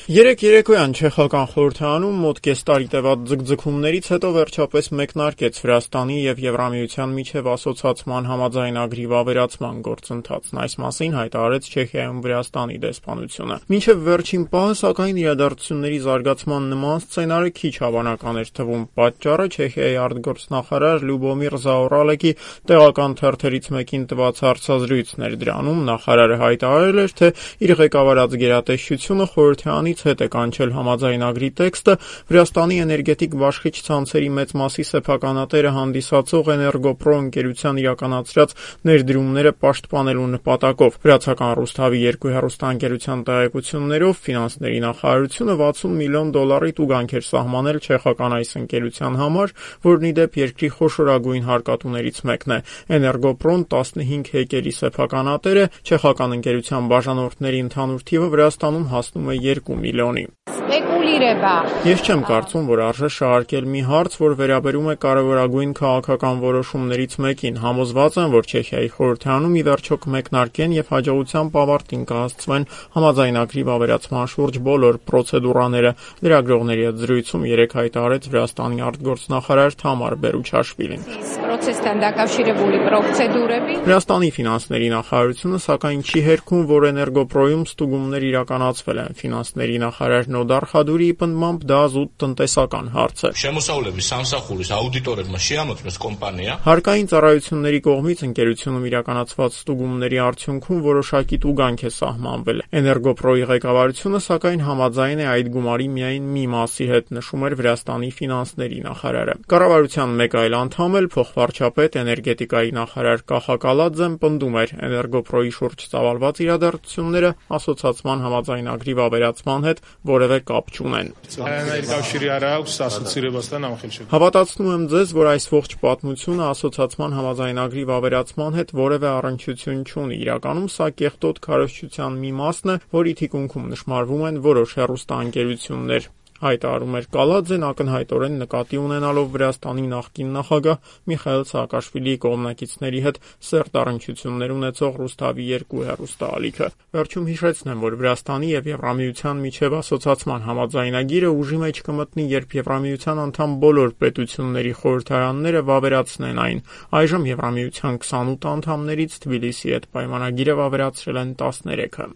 Երեկ երեկոյան չեխական խորհրդարանում մոտ կես տարի տևած ձգձգումներից հետո վերջապես մեկնարկեց Վրաստանի և Եվրամիության միջև ասոցացման համաձայնագրի վավերացման գործընթացն։ Այս մասին հայտարարեց Չեխիայում Վրաստանի դեսպանությունը։ Մինչև վերջին պահը, սակայն, իրադարձությունների զարգացման նման սցենարը քիչ հավանական էր թվում։ Պատճառը Չեխիայի արտգործնախարար Լյուբոմիր Զաուրալեկի տեղական թերթերից մեկին տված հարցազրույցն էր։ Դրանում նախարարը հայտարարել էր, թե իր ղեկավարած գերատեսչությունը խորհրդարանից հետ է կանչել համաձայնագրի տեքստը Վրաստանի էներգետիկ բաշխիչ ցանցերի մեծ մասի սեփականատերը հանդիսացող Էներգոպրո ընկերության իրականացրած ներդրումները պաշտպանելու նպատակով։ Վրացական Ռուսթավի 2 հեռուստաընկերության տեղեկություններով ֆինանսների նախարարությունը $60 միլիոն տուգանք էր սահմանել չեխական այս ընկերության համար, որն ի դեպ երկրի խոշորագույն հարկատուներից մեկն է։ Էներգոպրոն 15 հեկերի սեփականատեր է, չեխական ընկերության բաժանորդների ընդհանուր թիվը Վրաստանում հասնում է 2 միլիոնի։ Ես չեմ կարծում, որ արժե շահարկել մի հարց, որ վերաբերում է կարևորագույն քաղաքական որոշումներից մեկին։ Համոզված եմ, որ Չեխիայի խորհրդարանում ի վերջո կմեկնարկեն և հաջողությամբ ավարտին կհասցվեն համաձայնագրի վավերացման շուրջ բոլոր պրոցեդուրաները։ Լրագրողների հետ զրույցում երեկ հայտարարեց Վրաստանի արտգործնախարար Թամար Բերուչաշվիլին։ Վրաստանի ֆինանսների նախարարությունը սակայն չի հերքում, որ Էներգոպրոյում ստուգումներ իրականացվել են։ Ֆինանսների նախարար Նոդար Խադուրիի պնդմամբ դա զուտ տնտեսական հարց է։ Հարկային ծառայությունների կողմից ընկերությունում իրականացված ստուգումների արդյունքում որոշակի տուգանք է սահմանվել։ Էներգոպրոյի ղեկավարությունը սակայն համաձայն է այդ գումարի միայն մի մասի հետ, նշում էր Վրաստանի ֆինանսների նախարարը։ Կառավարության մեկ այլ անդամ էլ, փոխվարչապետ էներգետիկայի նախարար Կախա Կալաձեն, պնդում էր Էներգոպրոյի շուրջ ծավալված իրադարձությունները ասոցացման համաձայնագրի վավերացման հետ որևէ կապ չունեն։ Հավատացնում եմ ձեզ, որ այս ողջ պատմությունը ասոցացման համաձայնագրի վավերացման հետ որևէ առնչություն չունի։ Իրականում սա կեղտոտ քարոզչության մի մասն է, որի թիկունքում նշմարվում են որոշ հեռուստաընկերություններ, հայտարարում էր Կալաձեն, ակնհայտորեն նկատի ունենալով Վրաստանի նախկին նախագահ Միխայիլ Սաակաշվիլիի կողմնակիցների հետ սերտ առնչություններ ունեցող Ռուսթավի 2 հեռուստաալիքը։ Վերջում հիշեցնեմ, որ Վրաստանի և Եվրամիության միջև ասոցացման համաձայնագիրը ուժի մեջ կմտնի, երբ Եվրամիության անդամ բոլոր պետությունների խորհրդարանները վավերացնեն այն։ Այժմ Եվրամիության 28 անդամներից Թբիլիսիի հետ պայմանագիրը վավերացրել են 13-ը։